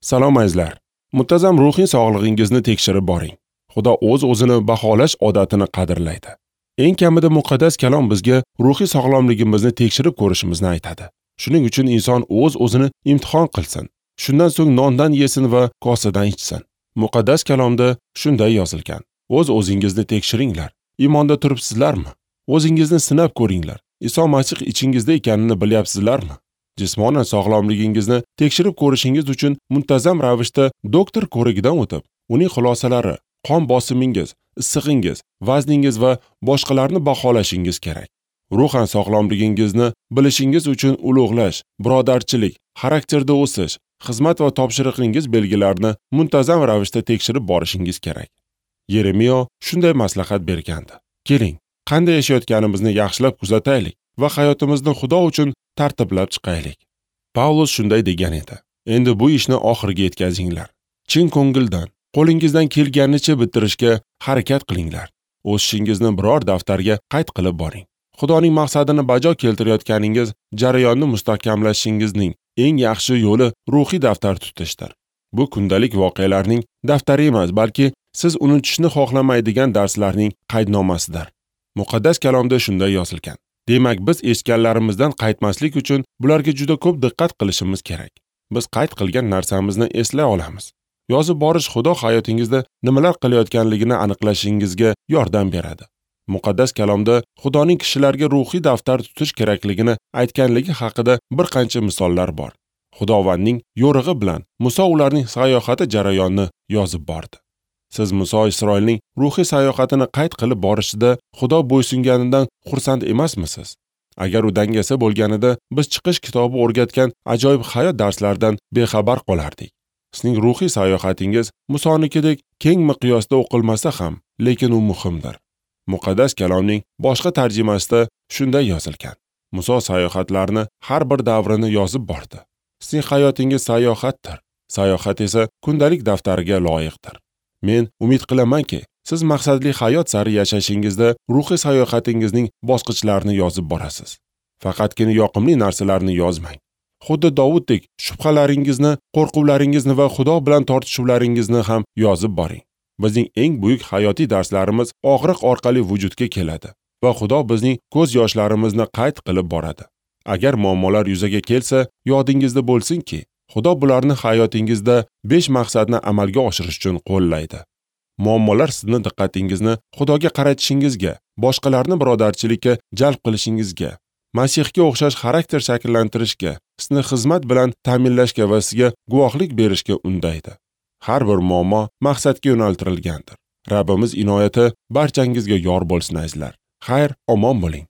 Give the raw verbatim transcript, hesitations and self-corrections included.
Salom azizlar. Muntazam ruhiy sog'lig'ingizni tekshirib boring. Xudo o'z-o'zini baholash odatini qadrlaydi. Eng kamida muqaddas kalom bizga ruhiy sog'lomligimizni tekshirib ko'rishimizni aytadi. Shuning uchun inson o'z-o'zini imtihon qilsin. Shundan so'ng nondan yesin va kosadan ichsin. Muqaddas kalomda shunday yozilgan: O'z-o'zingizni tekshiringlar. Iymonda turibsizlarmi? O'zingizni sinab ko'ringlar. Iso Masih ichingizda ekanini bilyapsizlarmi? Jismonan sog'lomligingizni tekshirib ko'rishingiz uchun muntazam ravishda doktor ko'rigidan o'tib, uning xulosalari, qon bosimingiz, issig'ingiz, vazningiz va boshqalarni baholashingiz kerak. Ruhan sog'lomligingizni bilishingiz uchun ulug'lash, birodarchilik, xarakterda o'sish, xizmat va topshiriqingiz belgilarini muntazam ravishda tekshirib borishingiz kerak. Yeremiyo shunday maslahat bergandi: Keling, qanday yashayotganimizni yaxshilab kuzataylik va hayotimizni Xudo uchun tartiblab chiqaylik. Pavlus shunday degan edi: Endi bu ishni oxiriga yetkazinglar. Chin ko'ngildan, qo'lingizdan kelganicha bitirishga harakat qilinglar. O'sishingizni biror daftarga qayd qilib boring. Xudoning maqsadini bajo keltirayotganingiz jarayonni mustahkamlashingizning eng yaxshi yo'li ruhiy daftar tutishdir. Bu kundalik voqealarning daftari emas, balki siz unutishni xohlamaydigan darslarning qaydnomasidir. Muqaddas kalomda shunday yozilgan: Demak, biz eshitganlarimizdan qaytmaslik uchun bularga juda ko'p diqqat qilishimiz kerak. Biz qayd qilgan narsamizni eslay olamiz. Yozib borish Xudo hayotingizda nimalar qilayotganligini aniqlashingizga yordam beradi. Muqaddas kalomda Xudoning kishilarga ruhiy daftar tutish kerakligini aytganligi haqida bir qancha misollar bor. Xudovandning yo'rig'i bilan Muso ularning sayohati jarayonini yozib bordi. Siz Muso Isroilning ruhiy sayohatini qayd qilib borishida Xudo bo'ysunganidan xursand emasmisiz? Agar u dangasa bo'lganida biz Chiqish kitobi o'rgatgan ajoyib hayot darslaridan bexabar qolardik. Sizning ruhiy sayohatingiz Musonikidek keng miqyosda o'qilmasa ham, lekin u muhimdir. Muqaddas kalomning boshqa tarjimasida shunday yozilgan: Muso sayohatlarini har bir davrini yozib bordi. Sizning hayotingiz sayohatdir. Sayohat esa kundalik daftariga loyiqdir. Men umid qilamanki, siz maqsadli hayot sari yashashingizda ruhiy sayohatingizning bosqichlarini yozib borasiz. Faqatgina yoqimli narsalarni yozmang. Xuddi Dovuddek shubhalaringizni, qo'rquvlaringizni va Xudo bilan tortishuvlaringizni ham yozib boring. Bizning eng buyuk hayotiy darslarimiz og'riq orqali vujudga keladi va Xudo bizning ko'z yoshlarimizni qayd qilib boradi. Agar muammolar yuzaga kelsa, yodingizda bo'lsinki, Xudo bularni hayotingizda besh maqsadni amalga oshirish uchun qo'llaydi. Muammolar sizni diqqatingizni Xudoga qaratishingizga, boshqalarni birodarchilikka jalb qilishingizga, Masihga o'xshash xarakter shakllantirishga, sizni xizmat bilan ta'minlashga va sizga guvohlik berishga undaydi. Har bir muammo maqsadga yo'naltirilgandir. Rabbimiz inoyati barchangizga yor bo'lsin azizlar. Xayr, omon bo'ling.